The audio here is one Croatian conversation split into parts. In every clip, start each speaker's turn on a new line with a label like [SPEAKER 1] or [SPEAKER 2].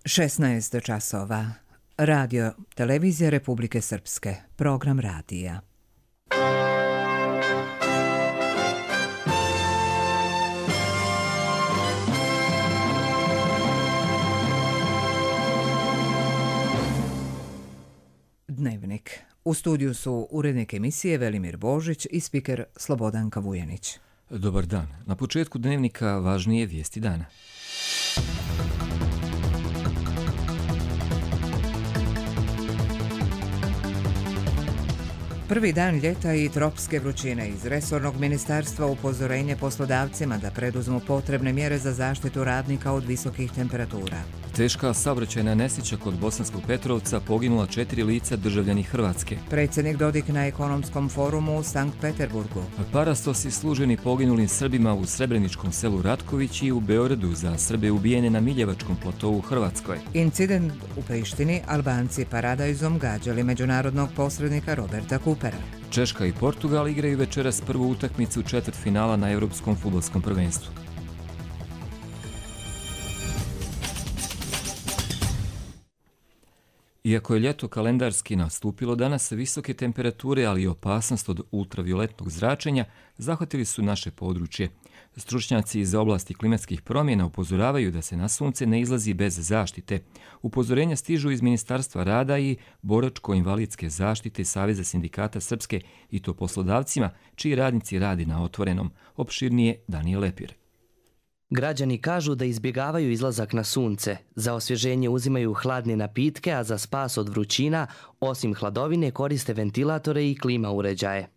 [SPEAKER 1] 16 časova. Radio, televizija Republike Srpske. Program radija. Dnevnik. U studiju su urednik emisije Velimir Božić i spiker Slobodanka Vujanić.
[SPEAKER 2] Dobar dan. Na početku dnevnika važnije vijesti dana.
[SPEAKER 1] Prvi dan ljeta i tropske vrućine. Iz resornog ministarstva upozorenje poslodavcima da preduzmu potrebne mjere za zaštitu radnika od visokih temperatura.
[SPEAKER 2] Teška saobraćajna nesreća kod Bosanskog Petrovca, poginula 4 lica državljani Hrvatske.
[SPEAKER 1] Predsjednik Dodik na ekonomskom forumu u Sankt Peterburgu.
[SPEAKER 2] Parastosi služeni poginulim Srbima u srebreničkom selu Ratković i u Beogradu, za Srbe ubijene na Miljevačkom platovu u Hrvatskoj.
[SPEAKER 1] Incident u Prištini, Albanci paradajzom gađali međunarodnog posrednika Roberta Coopera.
[SPEAKER 2] Češka i Portugal igraju večeras prvu utakmicu četvrtfinala na Europskom fudbalskom prvenstvu. Iako je ljeto kalendarski nastupilo, danas visoke temperature, ali i opasnost od ultravioletnog zračenja zahvatili su naše područje. Stručnjaci iz oblasti klimatskih promjena upozoravaju da se na sunce ne izlazi bez zaštite. Upozorenja stižu iz Ministarstva rada i boračko-invalidske zaštite Saveza sindikata Srpske, i to poslodavcima čiji radnici radi na otvorenom. Opširnije Danijel Lepir.
[SPEAKER 3] Građani kažu da izbjegavaju izlazak na sunce, za osvježenje uzimaju hladne napitke, a za spas od vrućina, osim hladovine, koriste ventilatore i klima uređaje.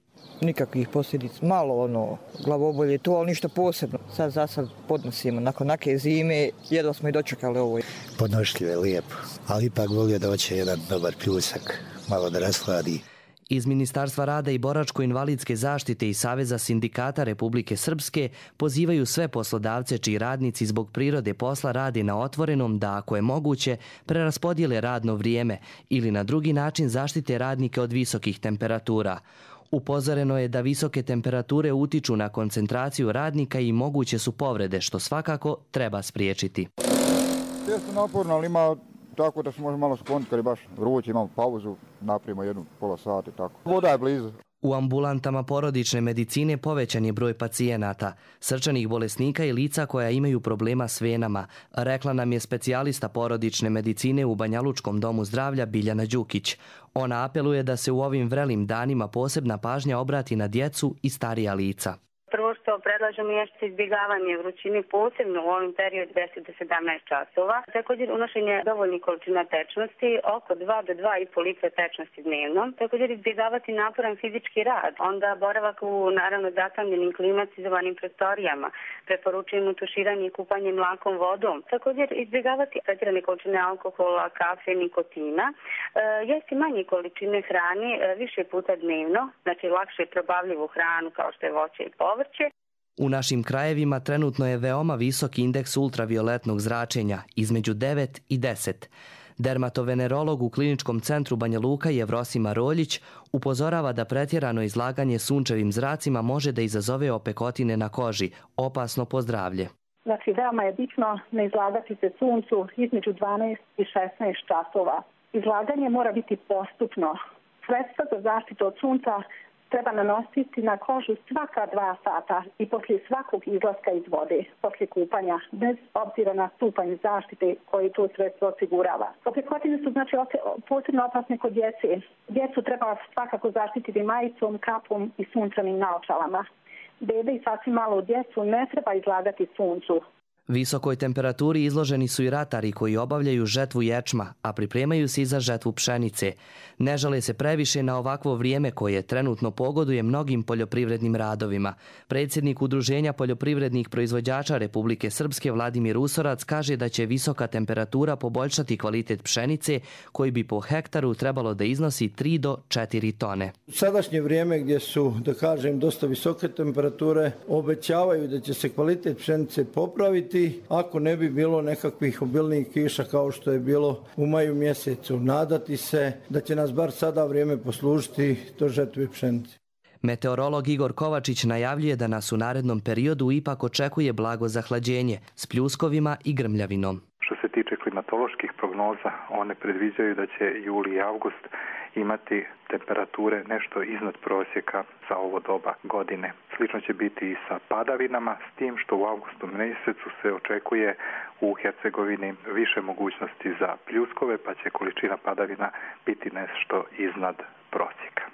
[SPEAKER 4] Nikakvih posljedica, malo glavobolje to, ali ništa posebno. Sad za sad podnosimo, nakon neke zime, jedva smo i dočekali ovo.
[SPEAKER 5] Podnošljivo je lijepo, ali ipak volio da hoće jedan dobar pljusak, malo da rasladi.
[SPEAKER 3] Iz Ministarstva rada i boračko-invalidske zaštite i Saveza sindikata Republike Srpske pozivaju sve poslodavce čiji radnici zbog prirode posla rade na otvorenom da, ako je moguće, preraspodijele radno vrijeme ili na drugi način zaštite radnike od visokih temperatura. Upozoreno je da visoke temperature utiču na koncentraciju radnika i moguće su povrede, što svakako treba spriječiti.
[SPEAKER 6] Jeste naporno, ali ima tako da se može malo skloniti kad je baš vruće, imamo pauzu, napravimo jednu pola sata i tako. Voda je blizu.
[SPEAKER 3] U ambulantama porodične medicine povećan je broj pacijenata, srčanih bolesnika i lica koja imaju problema s venama, rekla nam je specijalista porodične medicine u Banjalučkom domu zdravlja Biljana Đukić. Ona apeluje da se u ovim vrelim danima posebna pažnja obrati na djecu i starija lica.
[SPEAKER 7] Prvo što predlažemo jeste izbjegavanje vrućine, posebno u ovim periodu 10 do 17 časova. Također unošenje dovoljnih količina tečnosti, oko 2 do 2,5 litra tečnosti dnevno. Također izbjegavati naporan fizički rad, onda boravak u naravno zatamljenim klimatizovanim prostorijama. Preporučujemo tuširanje i kupanje mlakom vodom. Također izbjegavati pretjerane količine alkohola, kafe, nikotina. Jesti manje količine hrane više puta dnevno, znači lakše probavljivu hranu kao što je voće i povrće.
[SPEAKER 3] U našim krajevima trenutno je veoma visok indeks ultravioletnog zračenja, između 9 i 10. Dermatovenerolog u Kliničkom centru Banja Luka Jevrosima Roljić upozorava da pretjerano izlaganje sunčevim zracima može da izazove opekotine na koži, opasno po zdravlje.
[SPEAKER 8] Znači, veoma je bitno ne izlagati se suncu između 12 i 16 časova. Izlaganje mora biti postupno. Sredstva za zaštitu od sunca treba nanositi na kožu svaka 2 sata i poslije svakog izlaska iz vode, poslije kupanja, bez obzira na stupanj zaštite koji to sredstvo osigurava. Opekotine su znači posebno opasne kod djece. Djecu treba svakako zaštititi majicom, kapom i sunčanim naočalama. Bebe i sasvim malo djecu ne treba izlagati suncu.
[SPEAKER 3] Visokoj temperaturi izloženi su i ratari koji obavljaju žetvu ječma, a pripremaju se i za žetvu pšenice. Ne žale se previše na ovakvo vrijeme koje trenutno pogoduje mnogim poljoprivrednim radovima. Predsjednik Udruženja poljoprivrednih proizvođača Republike Srpske Vladimir Usorac kaže da će visoka temperatura poboljšati kvalitet pšenice koji bi po hektaru trebalo da iznosi 3 do 4 tone.
[SPEAKER 9] Sadašnje vrijeme gdje su, da kažem, dosta visoke temperature obećavaju da će se kvalitet pšenice popraviti ako ne bi bilo nekakvih obilnijih kiša kao što je bilo u maju mjesecu. Nadati se da će nas bar sada vrijeme poslužiti do žetve pšenice.
[SPEAKER 3] Meteorolog Igor Kovačić najavljuje da nas u narednom periodu ipak očekuje blago zahlađenje s pljuskovima i grmljavinom.
[SPEAKER 10] Što se tiče klimatoloških prognoza, one predviđaju da će juli i avgust imati temperature nešto iznad prosjeka za ovo doba godine. Slično će biti i sa padavinama, s tim što u avgustu mjesecu se očekuje u Hercegovini više mogućnosti za pljuskove, pa će količina padavina biti nešto iznad prosjeka.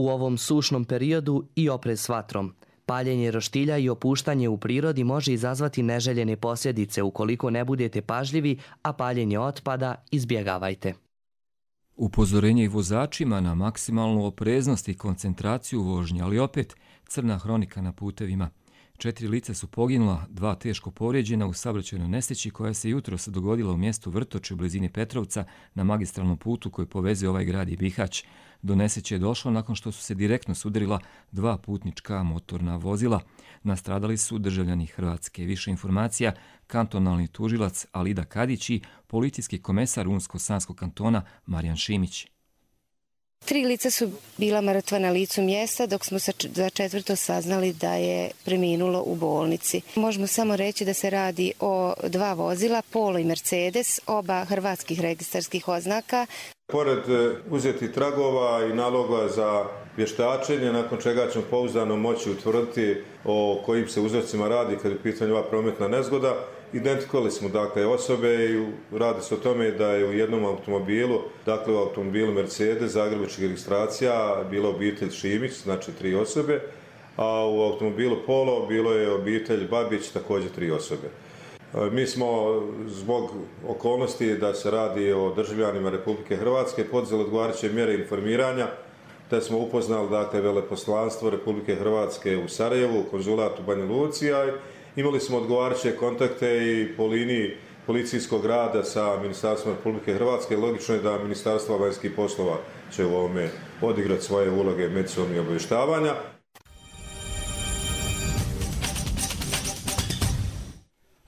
[SPEAKER 3] U ovom sušnom periodu i oprez s vatrom. Paljenje roštilja i opuštanje u prirodi može izazvati neželjene posljedice ukoliko ne budete pažljivi, a paljenje otpada izbjegavajte.
[SPEAKER 2] Upozorenje i vozačima na maksimalnu opreznost i koncentraciju vožnje, ali opet crna hronika na putevima. 4 lica su poginula, 2 teško povrijeđena u saobraćajnoj nesreći koja se jutros dogodila u mjestu Vrtoče u blizini Petrovca na magistralnom putu koji povezuje ovaj grad i Bihać. Do nesreće je došlo nakon što su se direktno sudarila 2 putnička motorna vozila. Nastradali su državljani Hrvatske. Više informacija kantonalni tužilac Alida Kadić i policijski komesar Unsko-Sanskog kantona Marijan Šimić.
[SPEAKER 11] 3 lica su bila mrtva na licu mjesta, dok smo za 4. saznali da je preminulo u bolnici. Možemo samo reći da se radi o 2 vozila, Polo i Mercedes, oba hrvatskih registarskih oznaka.
[SPEAKER 12] Pored uzetih tragova i naloga za vještačenje, nakon čega ćemo pouzdano moći utvrditi o kojim se uzrocima radi kad je u pitanju ova prometna nezgoda. Identifikovali smo dakle osobe i radi se o tome da je u jednom automobilu, dakle u automobilu Mercedes zagrebačkih registracija bila obitelj Šimić, znači 3 osobe, a u automobilu Polo bilo je obitelj Babić, također 3 osobe. Mi smo zbog okolnosti da se radi o državljanima Republike Hrvatske poduzeli odgovarajuće mjere informiranja, te smo upoznali dakle veleposlanstvo Republike Hrvatske u Sarajevu, konzulat u Banja Luci, imali smo odgovarajuće kontakte i po liniji policijskog rada sa Ministarstvom Republike Hrvatske. Logično je da Ministarstvo vanjskih poslova će u ovome odigrati svoje uloge međusobnog obavještavanja.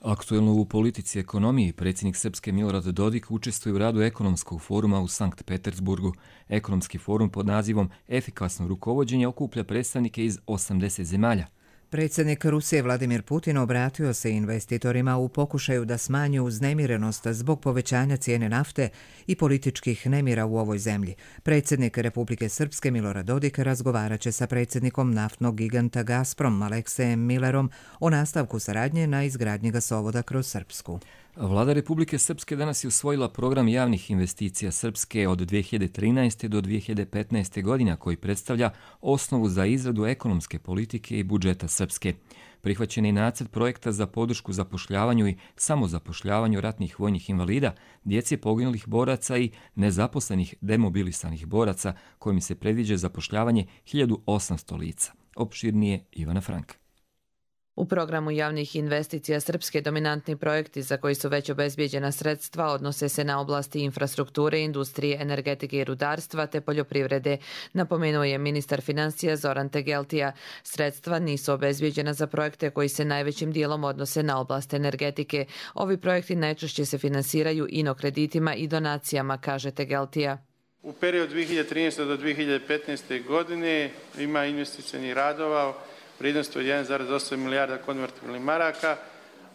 [SPEAKER 2] Aktuelno u politici i ekonomiji predsjednik Srpske Milorad Dodik učestvuje u radu ekonomskog foruma u Sankt Petersburgu. Ekonomski forum pod nazivom Efikasno rukovođenje okuplja predstavnike iz 80 zemalja.
[SPEAKER 1] Predsjednik Rusije Vladimir Putin obratio se investitorima u pokušaju da smanji uznemirenost zbog povećanja cijene nafte i političkih nemira u ovoj zemlji. Predsjednik Republike Srpske Milorad Dodik razgovarat će sa predsjednikom naftnog giganta Gazprom Aleksejem Millerom o nastavku saradnje na izgradnji gasovoda kroz Srpsku.
[SPEAKER 2] Vlada Republike Srpske danas je usvojila program javnih investicija Srpske od 2013. do 2015. godina koji predstavlja osnovu za izradu ekonomske politike i budžeta Srpske. Prihvaćen je nacrt projekta za podršku zapošljavanju i samozapošljavanju ratnih vojnih invalida, djece poginulih boraca i nezaposlenih demobilisanih boraca kojim se predviđa zapošljavanje 1800 lica. Opširnije Ivana Franka.
[SPEAKER 13] U programu javnih investicija Srpske dominantni projekti za koji su već obezbijeđena sredstva odnose se na oblasti infrastrukture, industrije, energetike i rudarstva te poljoprivrede, napomenuo je ministar financija Zoran Tegeltija. Sredstva nisu obezbijeđena za projekte koji se najvećim dijelom odnose na oblast energetike. Ovi projekti najčešće se finansiraju inokreditima i donacijama, kaže Tegeltija.
[SPEAKER 14] U periodu 2013. do 2015. godine ima investicijnih radova vrijednosti od 1,8 milijarda konvertibilnih maraka,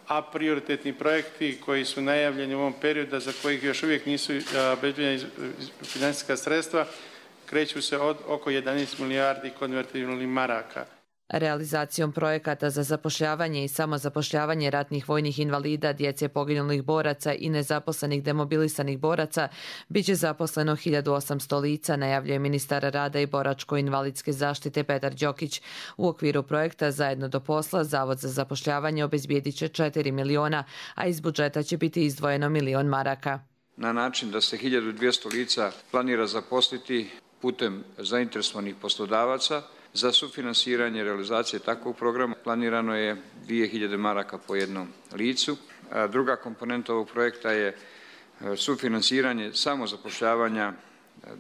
[SPEAKER 14] a prioritetni projekti koji su najavljeni u ovom periodu, za kojih još uvijek nisu obezbijeđena financijska sredstva, kreću se od oko 11 milijardi konvertibilnih maraka.
[SPEAKER 13] Realizacijom projekata za zapošljavanje i samozapošljavanje ratnih vojnih invalida, djece poginulih boraca i nezaposlenih demobilisanih boraca biće zaposleno 1800 lica, najavljuje ministar rada i boračko-invalidske zaštite Petar Đokić. U okviru projekta Zajedno do posla Zavod za zapošljavanje obezbijedit će 4 miliona, a iz budžeta će biti izdvojeno 1 milion maraka.
[SPEAKER 15] Na način da se 1200 lica planira zaposliti putem zainteresovanih poslodavaca. Za sufinansiranje realizacije takvog programa planirano je 2000 maraka po jednom licu. Druga komponenta ovog projekta je sufinansiranje samozapošljavanja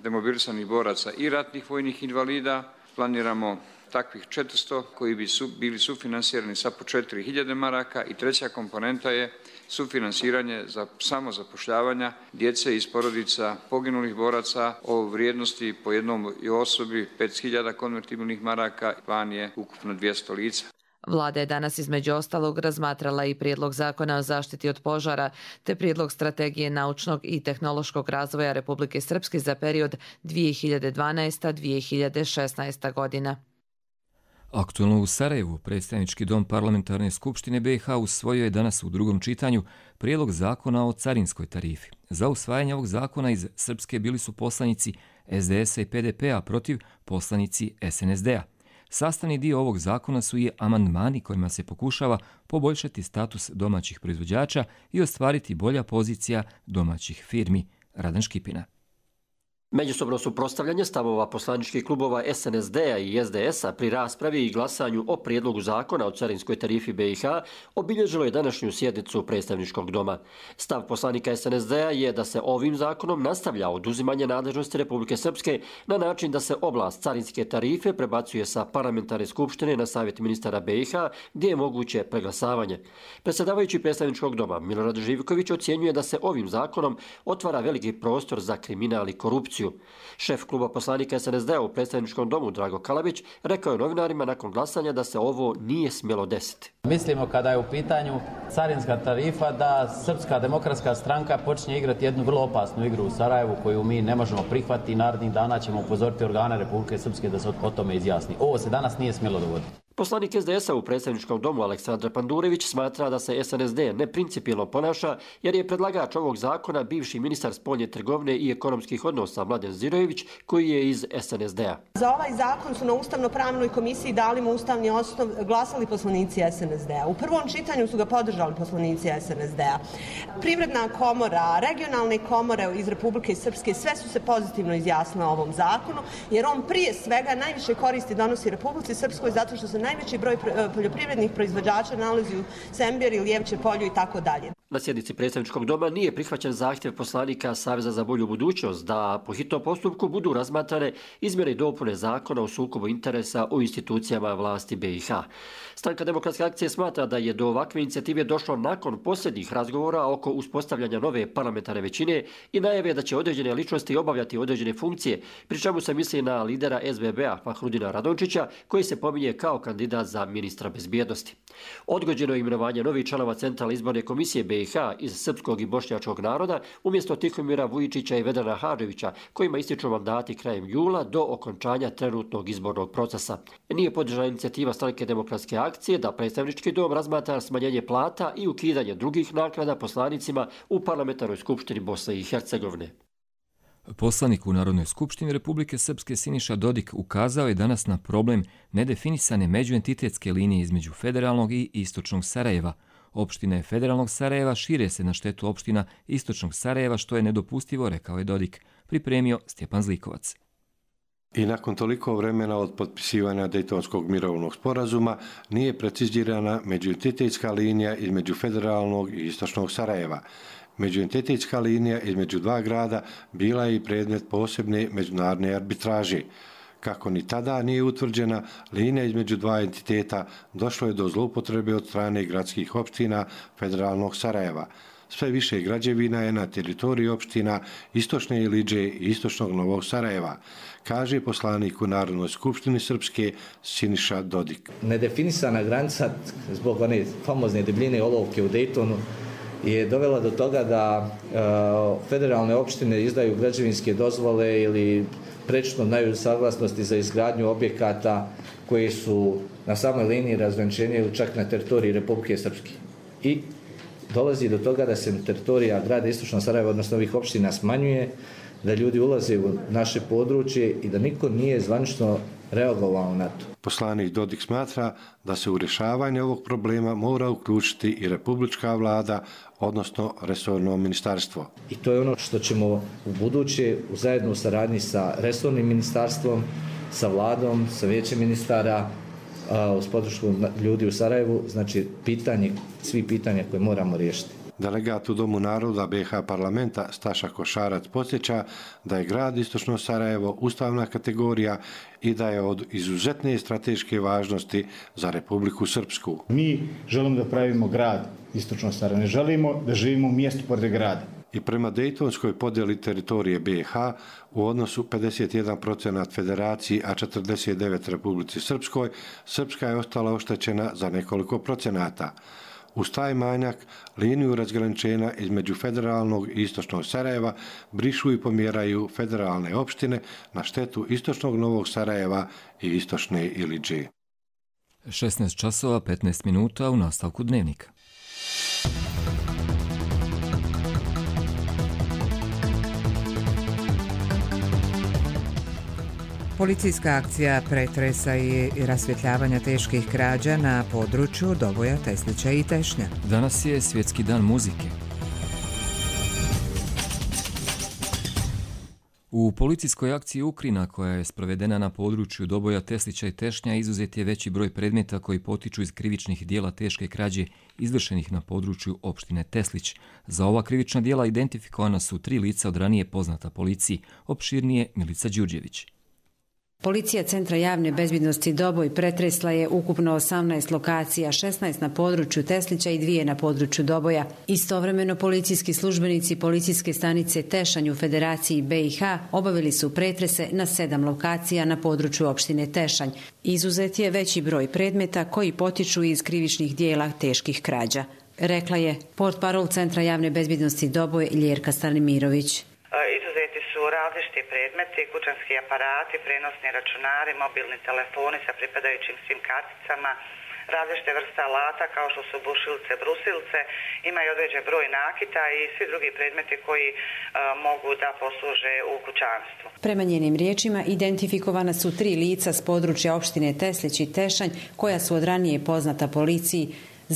[SPEAKER 15] demobilisanih boraca i ratnih vojnih invalida. Planiramo takvih 400 koji bi bili sufinansirani sa po 4000 maraka i treća komponenta je sufinansiranje za samozapošljavanja djece iz porodica poginulih boraca o vrijednosti po jednom osobi 5000 konvertibilnih maraka, plan je ukupno 200 lica.
[SPEAKER 13] Vlada je danas između ostalog razmatrala i prijedlog zakona o zaštiti od požara te prijedlog strategije naučnog i tehnološkog razvoja Republike Srpske za period 2012-2016 godina.
[SPEAKER 2] Aktualno u Sarajevu, predstavnički dom Parlamentarne skupštine BiH usvojio je danas u drugom čitanju prijedlog zakona o carinskoj tarifi. Za usvajanje ovog zakona iz Srpske bili su poslanici SDS-a i PDP-a protiv poslanici SNSD-a. Sastavni dio ovog zakona su i amandmani kojima se pokušava poboljšati status domaćih proizvođača i ostvariti bolja pozicija domaćih firmi. Radan Škipina.
[SPEAKER 16] Međusobno suprotstavljanje stavova poslaničkih klubova SNSD-a i SDS-a pri raspravi i glasanju o prijedlogu zakona o carinskoj tarifi BiH obilježilo je današnju sjednicu predstavničkog doma. Stav poslanika SNSD-a je da se ovim zakonom nastavlja oduzimanje nadležnosti Republike Srpske na način da se oblast carinske tarife prebacuje sa parlamentarne skupštine na savjet ministara BiH gdje je moguće preglasavanje. Predsjedavajući predstavničkog doma Milorad Živković ocjenjuje da se ovim zakonom otvara veliki prostor za kriminal i korupciju. Šef kluba poslanika SNSD-a u predstavničkom domu Drago Kalabić rekao je novinarima nakon glasanja da se ovo nije smjelo desiti.
[SPEAKER 17] Mislimo kada je u pitanju carinska tarifa da Srpska demokratska stranka počinje igrati jednu vrlo opasnu igru u Sarajevu koju mi ne možemo prihvatiti i narednih dana ćemo upozoriti organe Republike Srpske da se o tome izjasni. Ovo se danas nije smjelo dogoditi.
[SPEAKER 16] Poslanik SDS-a u predstavničkom domu Aleksandar Pandurević smatra da se SNSD neprincipijelno ponaša jer je predlagač ovog zakona bivši ministar spoljne trgovine i ekonomskih odnosa Mladen Zirojević koji je iz SNSD-a.
[SPEAKER 18] Za ovaj zakon su na Ustavno-pravnoj komisiji dali mu ustavni osnov glasali poslanici SNSD-a. U prvom čitanju su ga podržali poslanici SNSD-a. Privredna komora, regionalne komore iz Republike Srpske sve su se pozitivno izjasnile o ovom zakonu jer on prije svega najviše koristi donosi Republici Srpskoj zato što se najveći broj poljoprivrednih proizvođača nalazi u Semberi, Lijevče polju i tako dalje.
[SPEAKER 16] Na sjednici predstavničkog doma nije prihvaćen zahtjev poslanika Saveza za bolju budućnost da po hitnom postupku budu razmatrane izmjene i dopune zakona o sukobu interesa u institucijama vlasti BiH. Stranka Demokratske akcije smatra da je do ovakve inicijative došlo nakon posljednjih razgovora oko uspostavljanja nove parlamentarne većine i najave da će određene ličnosti obavljati određene funkcije, pri čemu se misli na lidera SBB-a Fahrudina Radončića koji se pominje kao kandidat za ministra bezbjednosti. Odgođeno je imenovanje novih članova Centralne izborne komisije BiH iz srpskog i bošnjačkog naroda umjesto Tihomira Vujičića i Vedrana Hadževića kojima ističu mandati krajem jula do okončanja trenutnog izbornog procesa. Nije podržana inicijativa Stranke Demokratske akcije da predstavnički dom razmatra smanjenje plata i ukidanje drugih naknada poslanicima u parlamentarnoj skupštini Bosne i Hercegovine.
[SPEAKER 2] Poslanik u Narodnoj skupštini Republike Srpske Siniša Dodik ukazao je danas na problem nedefinisane međuentitetske linije između federalnog i istočnog Sarajeva. Opštine federalnog Sarajeva šire se na štetu opština istočnog Sarajeva, što je nedopustivo, rekao je Dodik, pripremio Stjepan Zlikovac.
[SPEAKER 19] I nakon toliko vremena od potpisivanja Dejtonskog mirovnog sporazuma nije precizirana međuentitetska linija između federalnog i istočnog Sarajeva. Međuentitetska linija između dva grada bila je i predmet posebne međunarodne arbitraže. Kako ni tada nije utvrđena linija između dva entiteta, došlo je do zloupotrebe od strane gradskih opština federalnog Sarajeva. Sve više građevina je na teritoriji opština Istočne Iliđe i Istočnog Novog Sarajeva, kaže poslanik u Narodnoj skupštini Srpske Siniša Dodik.
[SPEAKER 20] Nedefinisana granica zbog one famozne debljine olovke u Dejtonu je dovela do toga da federalne opštine izdaju građevinske dozvole ili prečno daju saglasnosti za izgradnju objekata koji su na samoj liniji razgraničenja ili čak na teritoriji Republike Srpske. I dolazi do toga da se teritorija grada Istočno Sarajeva, odnosno ovih opština, smanjuje, da ljudi ulaze u naše područje i da niko nije zvanično reagovao na to.
[SPEAKER 19] Poslanik Dodik smatra da se u rješavanje ovog problema mora uključiti i republička vlada, odnosno resorno ministarstvo.
[SPEAKER 20] I to je ono što ćemo u buduće u zajedno saradnji sa resornim ministarstvom, sa vladom, sa vijećem ministara, uz podršku ljudi u Sarajevu, znači svi pitanja koje moramo riješiti.
[SPEAKER 19] Delegat u Domu naroda BiH parlamenta Staša Košarac podsjeća da je grad Istočno Sarajevo ustavna kategorija i da je od izuzetne strateške važnosti za Republiku Srpsku.
[SPEAKER 21] Mi želimo da pravimo grad Istočno Sarajevo, ne želimo da živimo u mjestu pored grada.
[SPEAKER 19] i prema Dejtonskoj podjeli teritorije BiH u odnosu 51% Federaciji, a 49% Republici Srpskoj, Srpska je ostala oštećena za nekoliko procenata. Uz taj manjak, liniju razgraničenja između federalnog i istočnog Sarajeva brišu i pomjeraju federalne opštine na štetu istočnog Novog Sarajeva i istočne Ilidži.
[SPEAKER 2] 16 časova 15 minuta u nastavku dnevnika.
[SPEAKER 1] Policijska akcija pretresa i rasvjetljavanja teških krađa na području Doboja, Teslića i Tešnja.
[SPEAKER 2] Danas je Svjetski dan muzike. U policijskoj akciji Ukrina, koja je sprovedena na području Doboja, Teslića i Tešnja, izuzet je veći broj predmeta koji potiču iz krivičnih dijela teške krađe izvršenih na području opštine Teslić. Za ova krivična dijela identifikovana su 3 lica od ranije poznata policiji, opširnije Milica Đurđević.
[SPEAKER 21] Policija Centra javne bezbjednosti Doboj pretresla je ukupno 18 lokacija, 16 na području Teslića i 2 na području Doboja. Istovremeno policijski službenici policijske stanice Tešanj u Federaciji BiH obavili su pretrese na 7 lokacija na području opštine Tešanj. Izuzet je veći broj predmeta koji potiču iz krivičnih dijela teških krađa, rekla je portparol Centra javne bezbjednosti Doboj Ljerka Stanimirović.
[SPEAKER 22] Različiti predmeti, kućanski aparati, prenosni računari, mobilni telefoni sa pripadajućim svim karticama, različite vrste alata kao što su bušilce, brusilce, ima i određen broj nakita i svi drugi predmeti koji mogu da posluže u kućanstvu.
[SPEAKER 21] Prema njenim riječima identifikovana su 3 lica s područja opštine Teslić i Tešanj koja su od ranije poznata policiji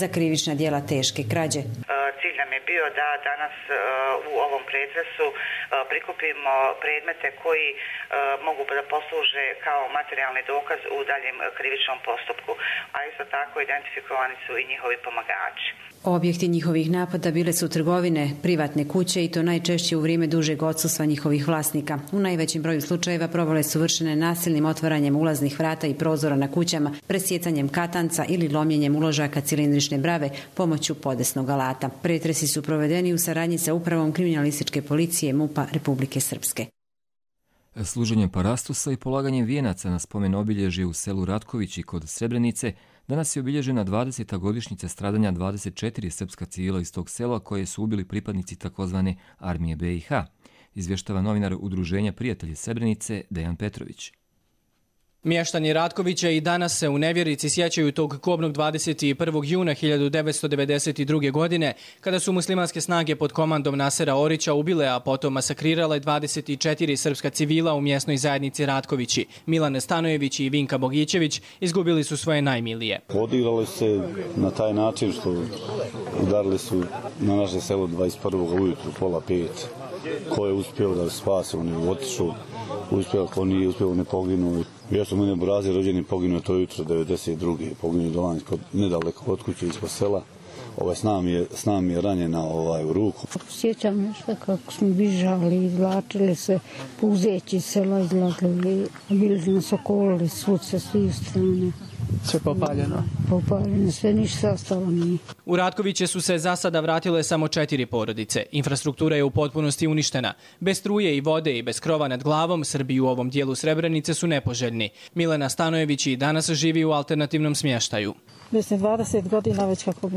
[SPEAKER 21] za krivična djela teške krađe.
[SPEAKER 22] Cilj nam je bio da danas u ovom pretresu prikupimo predmete koji mogu da posluže kao materijalni dokaz u daljem krivičnom postupku, a isto tako identifikovani su i njihovi pomagači.
[SPEAKER 21] Objekti njihovih napada bile su trgovine, privatne kuće i to najčešće u vrijeme dužeg odsustva njihovih vlasnika. U najvećem broju slučajeva provale su vršene nasilnim otvaranjem ulaznih vrata i prozora na kućama, presjecanjem katanca ili lomljenjem uložaka cilindrične brave pomoću podesnog alata. Pretresi su provedeni u saradnji sa upravom kriminalističke policije MUP-a Republike Srpske.
[SPEAKER 2] Služenjem parastusa i polaganjem vijenaca na spomen obilježje u selu Ratkovići kod Srebrenice danas je obilježena 20. godišnjica stradanja 24 srpska civila iz tog sela koje su ubili pripadnici takozvane armije BiH, izvještava novinar Udruženja prijatelji Srebrenice Dejan Petrović.
[SPEAKER 23] Mještani Ratkovića i danas se u nevjerici sjećaju tog kobnog 21. juna 1992. godine, kada su muslimanske snage pod komandom Nasera Orića ubile, a potom masakrirale 24 srpska civila u mjesnoj zajednici Ratkovići. Milan Stanojević i Vinka Bogićević izgubili su svoje najmilije.
[SPEAKER 24] Odigrali se na taj način što udarili su na naše selo 21. ujutru, 4:30. Ko je uspio da spase, on je otišao. Uspio, ko nije uspio, ne poginuo. Ja sam mene Brazi rođeni poginuo to jutro 92. Poginuo Dolanj nedaleko od kuće ispod sela. S nam je ranjena u ruku.
[SPEAKER 25] Sjećam nešto kako smo bižali, izvlačili se, puzeći sela izlazili, bili smo nas okolili svud sa svih strane.
[SPEAKER 23] Sve popaljeno?
[SPEAKER 25] Popaljeno, sve ništa ostalo nije.
[SPEAKER 23] U Ratkoviće su se za sada vratile samo 4 porodice. Infrastruktura je u potpunosti uništena. Bez struje i vode i bez krova nad glavom, Srbi u ovom dijelu Srebrenice su nepoželjni. Milena Stanojević i danas živi u alternativnom smještaju.
[SPEAKER 25] Mislim, 20 godina već kako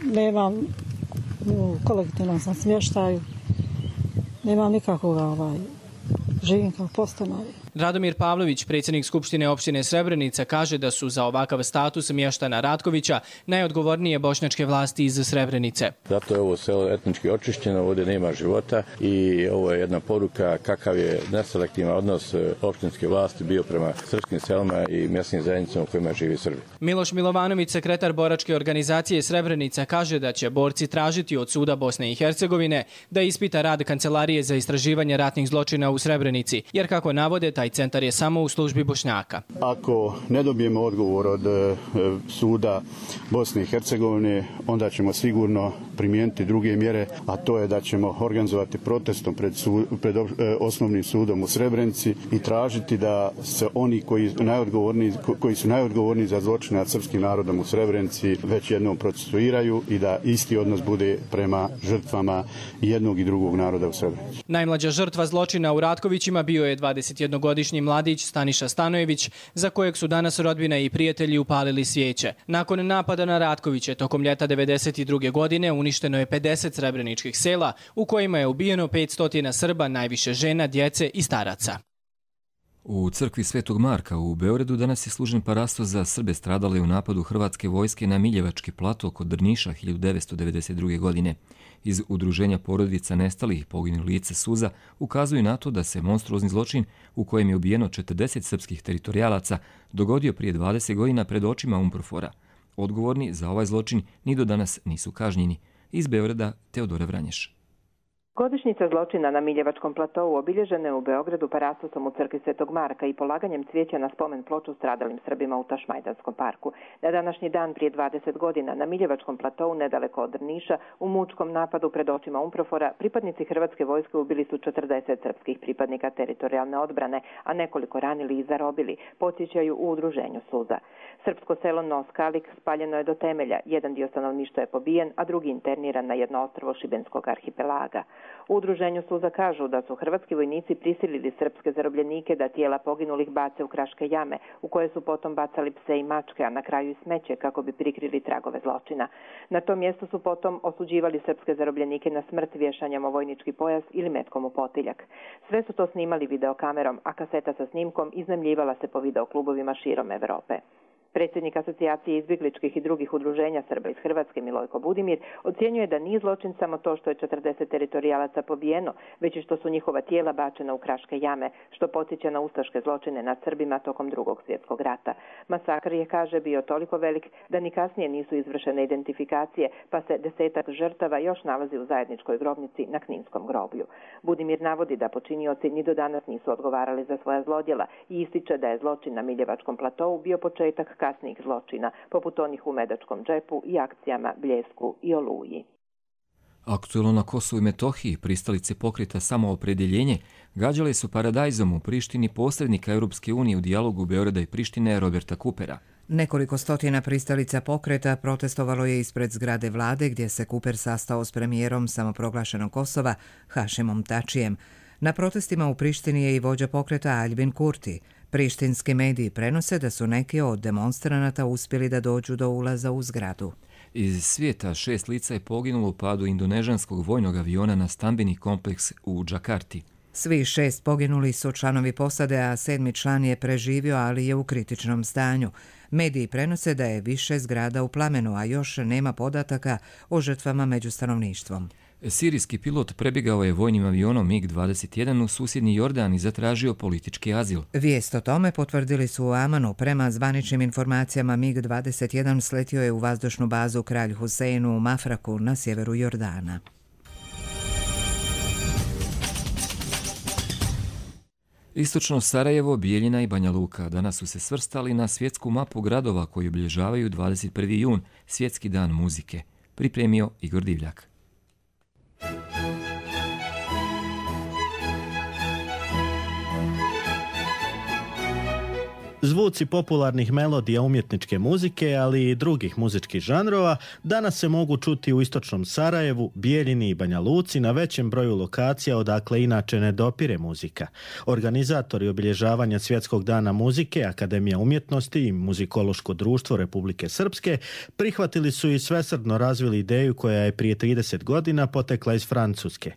[SPEAKER 25] nemam u kolektivnom sam smještaju. Nemam nikakvog živim kao podstanar.
[SPEAKER 23] Radomir Pavlović, predsjednik Skupštine opštine Srebrenica, kaže da su za ovakav status mještana Ratkovića najodgovornije bošnjačke vlasti iz Srebrenice.
[SPEAKER 26] Zato je ovo selo etnički očišćeno, ovdje nema života i ovo je jedna poruka kakav je neselektivan odnos opštinske vlasti bio prema srpskim selima i mjesnim zajednicama u kojima živi Srbi.
[SPEAKER 23] Miloš Milovanović, sekretar boračke organizacije Srebrenica, kaže da će borci tražiti od suda Bosne i Hercegovine da ispita rad Kancelarije za istraživanje ratnih zločina u Srebrenici, jer kako navode, taj Taj centar je samo u službi Bošnjaka.
[SPEAKER 24] Ako ne dobijemo odgovor od suda Bosne i Hercegovine, onda ćemo sigurno primijeniti druge mjere, a to je da ćemo organizovati protestom pred osnovnim sudom u Srebrenici i tražiti da se oni koji su najodgovorniji za zločine nad srpskim narodom u Srebrenici već jednom procesuiraju i da isti odnos bude prema žrtvama jednog i drugog naroda u Srebrenici.
[SPEAKER 23] Najmlađa žrtva zločina u Ratkovićima bio je 21-godišnji mladić Staniša Stanojević, za kojeg su danas rodbina i prijatelji upalili svijeće. Nakon napada na Ratkoviće tokom ljeta 1992. godine uništeno je 50 srebreničkih sela u kojima je ubijeno 500 Srba, najviše žena, djece i staraca.
[SPEAKER 2] U crkvi Svetog Marka u Beogradu danas je služen parasto za Srbe stradale u napadu hrvatske vojske na Miljevački plato kod Drniša 1992. godine. Iz udruženja porodica nestalih poginulih lica Suza ukazuju na to da se monstruozni zločin u kojem je ubijeno 40 srpskih teritorijalaca dogodio prije 20 godina pred očima UNPROFOR-a. Odgovorni za ovaj zločin ni do danas nisu kažnjeni. Iz Beograda Teodora Vranješ.
[SPEAKER 4] Godišnjica zločina na Miljevačkom platovu obilježena je u Beogradu parastosom u crkvi Svetog Marka i polaganjem cvijeća na spomen ploču stradalim Srbima u Tašmajdanskom parku. Na današnji dan prije 20 godina na Miljevačkom platovu nedaleko od Drniša u mučkom napadu pred očima UNPROFOR-a pripadnici hrvatske vojske ubili su 40 srpskih pripadnika teritorijalne odbrane, a nekoliko ranili i zarobili, podsjećaju u udruženju Suza. Srpsko selo Noskalik spaljeno je do temelja, jedan dio stanovništva je pobijen, a drugi interniran na jedno ostrvo Šibenskog arhipelaga. U udruženju Suza kažu da su hrvatski vojnici prisilili srpske zarobljenike da tijela poginulih bace u kraške jame, u koje su potom bacali pse i mačke, a na kraju i smeće kako bi prikrili tragove zločina. Na tom mjestu su potom osuđivali srpske zarobljenike na smrt vješanjem o vojnički pojas ili metkom u potiljak. Sve su to snimali videokamerom, a kaseta sa snimkom iznajmljivala se po videoklubovima širom Evrope. Predsjednik Asocijacije izbjegličkih i drugih udruženja Srba iz Hrvatske Milojko Budimir ocjenjuje da nije zločin samo to što je 40 teritorijalaca pobijeno, već i što su njihova tijela bačena u kraške jame, što podsjeća na ustaške zločine nad Srbima tokom Drugog svjetskog rata. Masakr je, kaže, bio toliko velik da ni kasnije nisu izvršene identifikacije, pa se 10 žrtava još nalazi u zajedničkoj grobnici na Kninskom groblju. Budimir navodi da počinioci ni do danas nisu odgovarali za svoja zlodjela i ističe da je zločin na Miljevačkom platovu bio početak kasnijih zločina, poput onih u Medačkom džepu i akcijama Bljesku i Oluji.
[SPEAKER 2] Aktuelno na Kosovu i Metohiji pristalice pokreta Samoopredjeljenje gađale su paradajzom u Prištini posrednika Europske unije u dijalogu Beograda i Prištine Roberta Kupera.
[SPEAKER 1] Nekoliko stotina pristalica pokreta protestovalo je ispred zgrade vlade gdje se Kuper sastao s premijerom samoproglašenog Kosova Hašimom Tačijem. Na protestima u Prištini je i vođa pokreta Aljbin Kurti. Prištinski mediji prenose da su neki od demonstranata uspjeli da dođu do ulaza u zgradu.
[SPEAKER 2] Iz svijeta 6 lica je poginulo u padu indonežanskog vojnog aviona na stambeni kompleks u Džakarti.
[SPEAKER 1] Svi 6 poginuli su članovi posade, a 7. član je preživio, ali je u kritičnom stanju. Mediji prenose da je više zgrada u plamenu, a još nema podataka o žrtvama među stanovništvom.
[SPEAKER 2] Sirijski pilot prebjegao je vojnim avionom MiG-21 u susjedni Jordan i zatražio politički azil.
[SPEAKER 1] Vijest o tome potvrdili su u Amanu. Prema zvaničnim informacijama MiG-21 sletio je u vazdušnu bazu Kralj Huseinu u Mafraku na sjeveru Jordana.
[SPEAKER 2] Istočno Sarajevo, Bijeljina i Banja Luka danas su se svrstali na svjetsku mapu gradova koji obilježavaju 21. jun, svjetski dan muzike. Pripremio Igor Divljak.
[SPEAKER 5] Zvuci popularnih melodija umjetničke muzike, ali i drugih muzičkih žanrova, danas se mogu čuti u istočnom Sarajevu, Bijeljini i Banja Luci na većem broju lokacija odakle inače ne dopire muzika. Organizatori obilježavanja Svjetskog dana muzike, Akademija umjetnosti i Muzikološko društvo Republike Srpske prihvatili su i svesrdno razvili ideju koja je prije 30 godina potekla iz Francuske.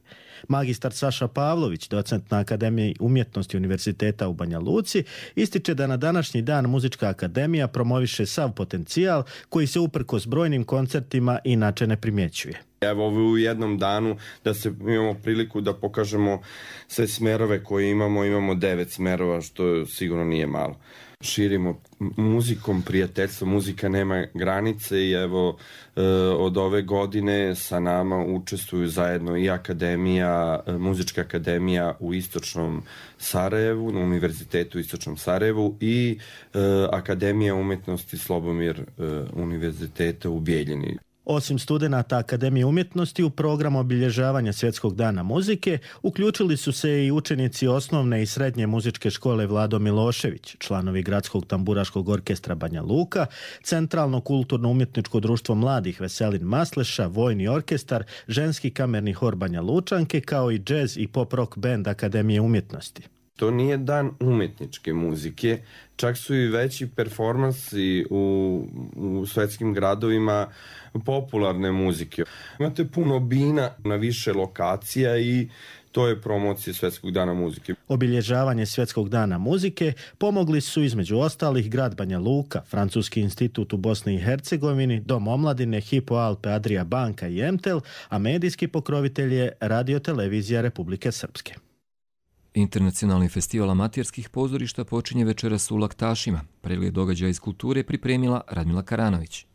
[SPEAKER 5] Magistar Saša Pavlović, docent na Akademiji umjetnosti Univerziteta u Banja Luci, ističe da na današnji dan Muzička akademija promoviše sav potencijal koji se uprkos brojnim koncertima inače ne primjećuje.
[SPEAKER 6] Evo u jednom danu da se imamo priliku da pokažemo sve smerove koje imamo 9 smerova, što sigurno nije malo. širimo muzikom, prijateljstvo, muzika nema granice i evo od ove godine sa nama učestvuju zajedno i Muzička akademija u Istočnom Sarajevu, na Univerzitetu u Istočnom Sarajevu i Akademija umjetnosti Slobomir Univerziteta u Bijeljini.
[SPEAKER 5] Osim studenata Akademije umjetnosti u program obilježavanja Svjetskog dana muzike uključili su se i učenici osnovne i srednje muzičke škole Vlado Milošević, članovi Gradskog tamburaškog orkestra Banja Luka, Centralno kulturno-umjetničko društvo mladih Veselin Masleša, Vojni orkestar, Ženski kamerni hor Banja Lučanke, kao i džez i pop-rock band Akademije umjetnosti.
[SPEAKER 6] To nije dan umjetničke muzike, čak su i veći performansi u svetskim gradovima popularne muzike. Imate puno bina na više lokacija i to je promocija Svjetskog dana muzike.
[SPEAKER 5] Obilježavanje Svjetskog dana muzike pomogli su između ostalih grad Banja Luka, Francuski institut u Bosni i Hercegovini, Dom omladine, Hypo Alpe Adria banka i Emtel, a medijski pokrovitelj je Radio-televizija Republike Srpske.
[SPEAKER 2] Internacionalni festival amaterskih pozorišta počinje večeras u Laktašima. Pregled događaja iz kulture pripremila Radmila Karanović.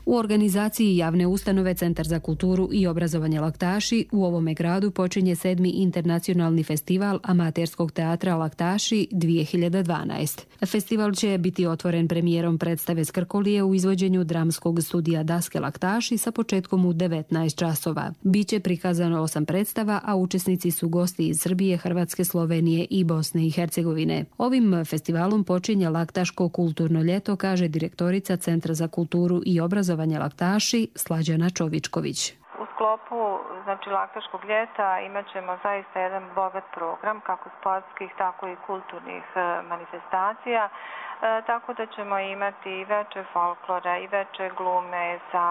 [SPEAKER 3] U organizaciji javne ustanove Centar za kulturu i obrazovanje Laktaši u ovome gradu počinje 7. internacionalni festival amaterskog teatra Laktaši 2012. Festival će biti otvoren premijerom predstave Skrkolije u izvođenju dramskog studija Daske Laktaši sa početkom u 19 časova. Biće prikazano 8 predstava, a učesnici su gosti iz Srbije, Hrvatske, Slovenije i Bosne i Hercegovine. Ovim festivalom počinje Laktaško kulturno ljeto, kaže direktorica Centra za kulturu i obrazovanje Laktaši Slađana Čovičković.
[SPEAKER 7] U sklopu Laktaškog ljeta imat ćemo zaista jedan bogat program, kako sportskih, tako i kulturnih manifestacija, tako da ćemo imati i veče folklora i veče glume sa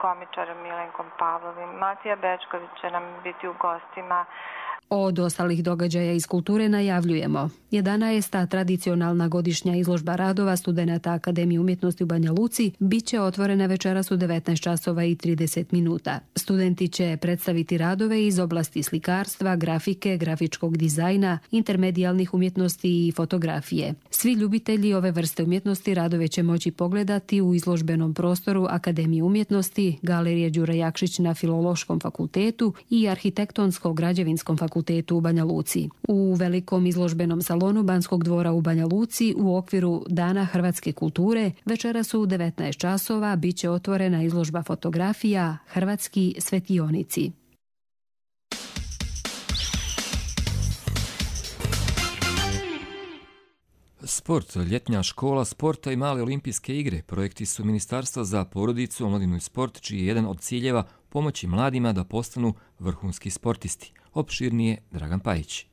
[SPEAKER 7] komičarom Milenkom Pavlovim. Matija Bečković će nam biti u gostima.
[SPEAKER 3] Od ostalih događaja iz kulture najavljujemo 11. tradicionalna godišnja izložba radova studenata Akademije umjetnosti u Banja Luci biće otvorena večeras u 19 časova i 30 minuta. Studenti će predstaviti radove iz oblasti slikarstva, grafike, grafičkog dizajna, intermedijalnih umjetnosti i fotografije. Svi ljubitelji ove vrste umjetnosti radove će moći pogledati u izložbenom prostoru Akademije umjetnosti, Galerije Đura Jakšić na Filološkom fakultetu i Arhitektonsko-građevinskom fakultetu u Banja Luci. U velikom izložbenom salonu Banskog dvora u Banja Luci u okviru Dana hrvatske kulture večeras u 19 časova biće otvorena izložba fotografija Hrvatski svetionici.
[SPEAKER 2] Sport, ljetnja škola sporta i male olimpijske igre projekti su Ministarstva za porodicu, omladinu i sport, čiji je jedan od ciljeva pomoći mladima da postanu vrhunski sportisti. Opširnije Dragan Pajić.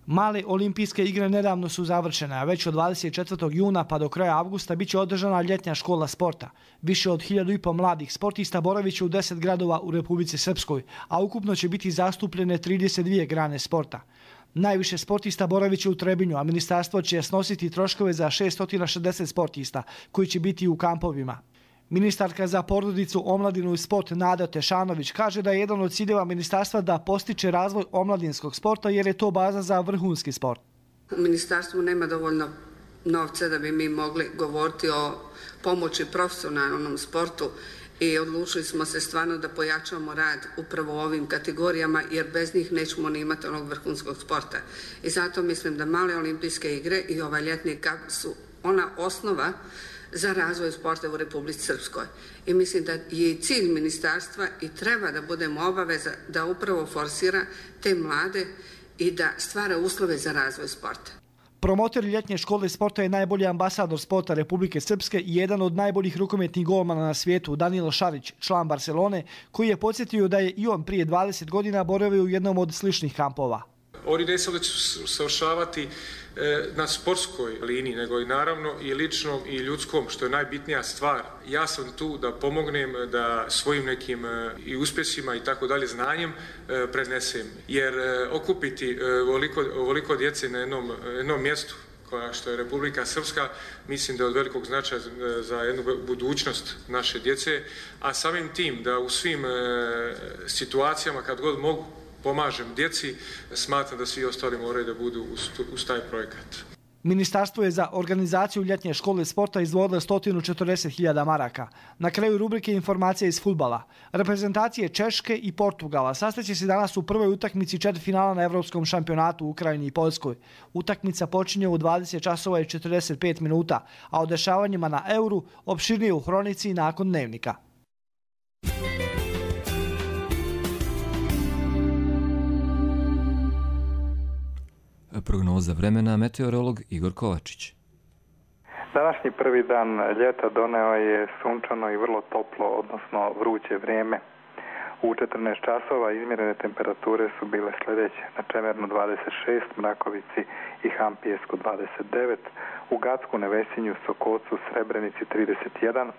[SPEAKER 8] Male olimpijske igre nedavno su završene, a već od 24. juna pa do kraja avgusta biće održana ljetnja škola sporta. Više od 1.500 mladih sportista boravit će u 10 gradova u Republici Srpskoj, a ukupno će biti zastupljene 32 grane sporta. Najviše sportista boravit će u Trebinju, a ministarstvo će snositi troškove za 660 sportista koji će biti u kampovima. Ministarka za porodicu, omladinu i sport Nada Tešanović kaže da je jedan od ciljeva ministarstva da postiče razvoj omladinskog sporta jer je to baza za vrhunski sport.
[SPEAKER 9] U ministarstvu nema dovoljno novca da bi mi mogli govoriti o pomoći profesionalnom sportu i odlučili smo se stvarno da pojačamo rad upravo u ovim kategorijama jer bez njih nećemo ni imati onog vrhunskog sporta. I zato mislim da male olimpijske igre i ovaj ljetni kamp su ona osnova za razvoj sporta u Republici Srpskoj. I mislim da je cilj ministarstva i treba da budemo obaveza da upravo forsira te mlade i da stvara uslove za razvoj sporta.
[SPEAKER 8] Promotor ljetnje škole sporta je najbolji ambasador sporta Republike Srpske i jedan od najboljih rukometnih golmana na svijetu, Danilo Šarić, član Barcelone, koji je podsjetio da je i on prije 20 godina boravio u jednom od sličnih kampova.
[SPEAKER 10] Oni ne samo da će savršavati na sportskoj liniji, nego i naravno i ličnom i ljudskom, što je najbitnija stvar. Ja sam tu da pomognem, da svojim nekim i uspjesima i tako dalje znanjem prenesem. Jer okupiti ovoliko djece na jednom mjestu, što je Republika Srpska, mislim da je od velikog značaja za jednu budućnost naše djece, a samim tim da u svim situacijama kad god mogu pomažem djeci, smatram da svi ostali moraju da budu uz taj projekat.
[SPEAKER 8] Ministarstvo je za organizaciju ljetnje škole sporta izdvojilo 140.000 maraka. Na kraju rubrike informacije iz fudbala. Reprezentacije Češke i Portugala sastaće se danas u prvoj utakmici četvrtfinala na Evropskom šampionatu u Ukrajini i Poljskoj. Utakmica počinje u 20:45, a o dešavanjima na Euru opširnije u hronici nakon dnevnika.
[SPEAKER 2] Prognoza vremena, meteorolog Igor Kovačić.
[SPEAKER 11] Današnji prvi dan ljeta doneo je sunčano i vrlo toplo, odnosno vruće vrijeme. U 14 časova izmjerene temperature su bile sljedeće: na Čemernu 26, Mrakovici i Hampijesku 29, u Gacku, Nevesinju, Sokocu, Srebrenici 31,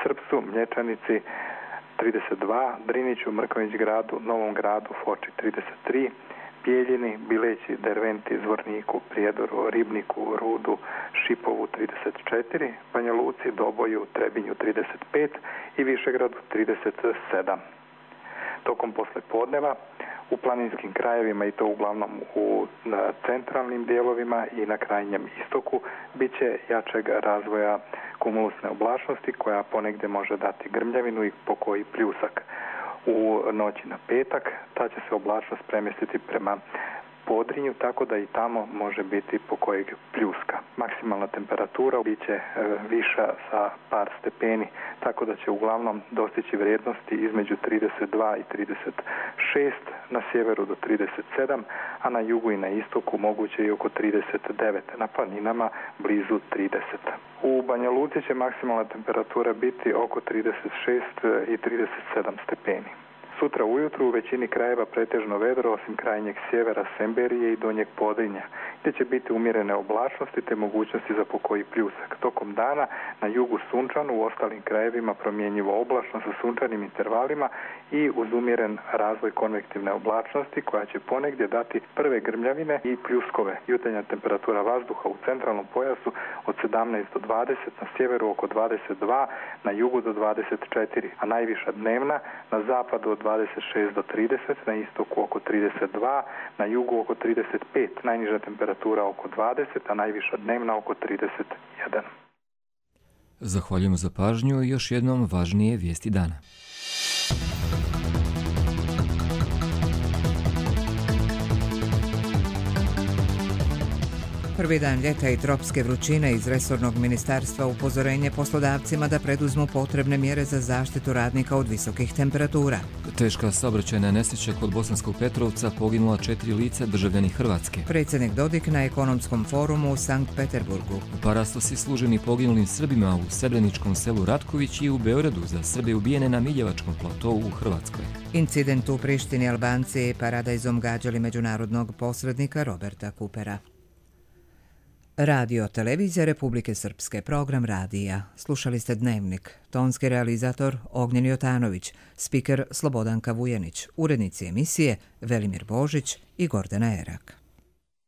[SPEAKER 11] Srpsu, Mlječanici 32, Driniću, Mrkonjić Gradu, Novom Gradu, Foči 33, Bijeljini, Bileći, Derventi, Zvorniku, Prijedoru, Ribniku, Rudu, Šipovu 34, Banja Luci, Doboju, Trebinju 35 i Višegradu 37. Tokom poslijepodneva u planinskim krajevima, i to uglavnom u centralnim dijelovima i na krajnjem istoku, bit će jačeg razvoja kumulusne oblačnosti koja ponegdje može dati grmljavinu i pokoji pljusak. U noći na petak ta će se oblačnost premjestiti prema Podrinju, tako da i tamo može biti pokojeg pljuska. Maksimalna temperatura bit će viša za par stepeni, tako da će uglavnom dostići vrijednosti između 32 i 36, na sjeveru do 37, a na jugu i na istoku moguće i oko 39, na planinama blizu 30. U Banja Luci će maksimalna temperatura biti oko 36 i 37 stepeni. Sutra ujutru u većini krajeva pretežno vedro, osim krajnjeg sjevera Semberije i Donjeg Podrinja, gdje će biti umjerene oblačnosti te mogućnosti za pokoji pljusak. Tokom dana na jugu sunčano, u ostalim krajevima promjenjivo oblačno sa sunčanim intervalima i uz umjeren razvoj konvektivne oblačnosti koja će ponegdje dati prve grmljavine i pljuskove. Jutarnja temperatura vazduha u centralnom pojasu od 17 do 20, na sjeveru oko 22, na jugu do 24, a najviša dnevna na zapadu od 26 do 30, na istoku oko 32, na jugu oko 35, najniža temperatura oko 20, a najviša dnevna oko 31.
[SPEAKER 2] Zahvaljujemo za pažnju i još jednom važnije vijesti dana.
[SPEAKER 1] Prvi dan ljeta i tropske vrućine iz resornog ministarstva upozorenje poslodavcima da preduzmu potrebne mjere za zaštitu radnika od visokih temperatura.
[SPEAKER 2] Teška saobraćajna nesreća kod Bosanskog Petrovca, poginula 4 lica, državljani Hrvatske.
[SPEAKER 1] Predsjednik Dodik na ekonomskom forumu u Sankt Peterburgu.
[SPEAKER 2] Parastosi služeni poginulim Srbima u Srebreničkom selu Ratković i u Beogradu za Srbe ubijene na Miljevačkom platovu u Hrvatskoj.
[SPEAKER 1] Incident u Prištini, Albanci paradajzom gađali međunarodnog posrednika Roberta Kupera. Radio Televizija Republike Srpske, program radija. Slušali ste Dnevnik. Tonski realizator Ognjen Jotanović, spiker Slobodanka Vujanić, urednici emisije Velimir Božić i Gordana Erak.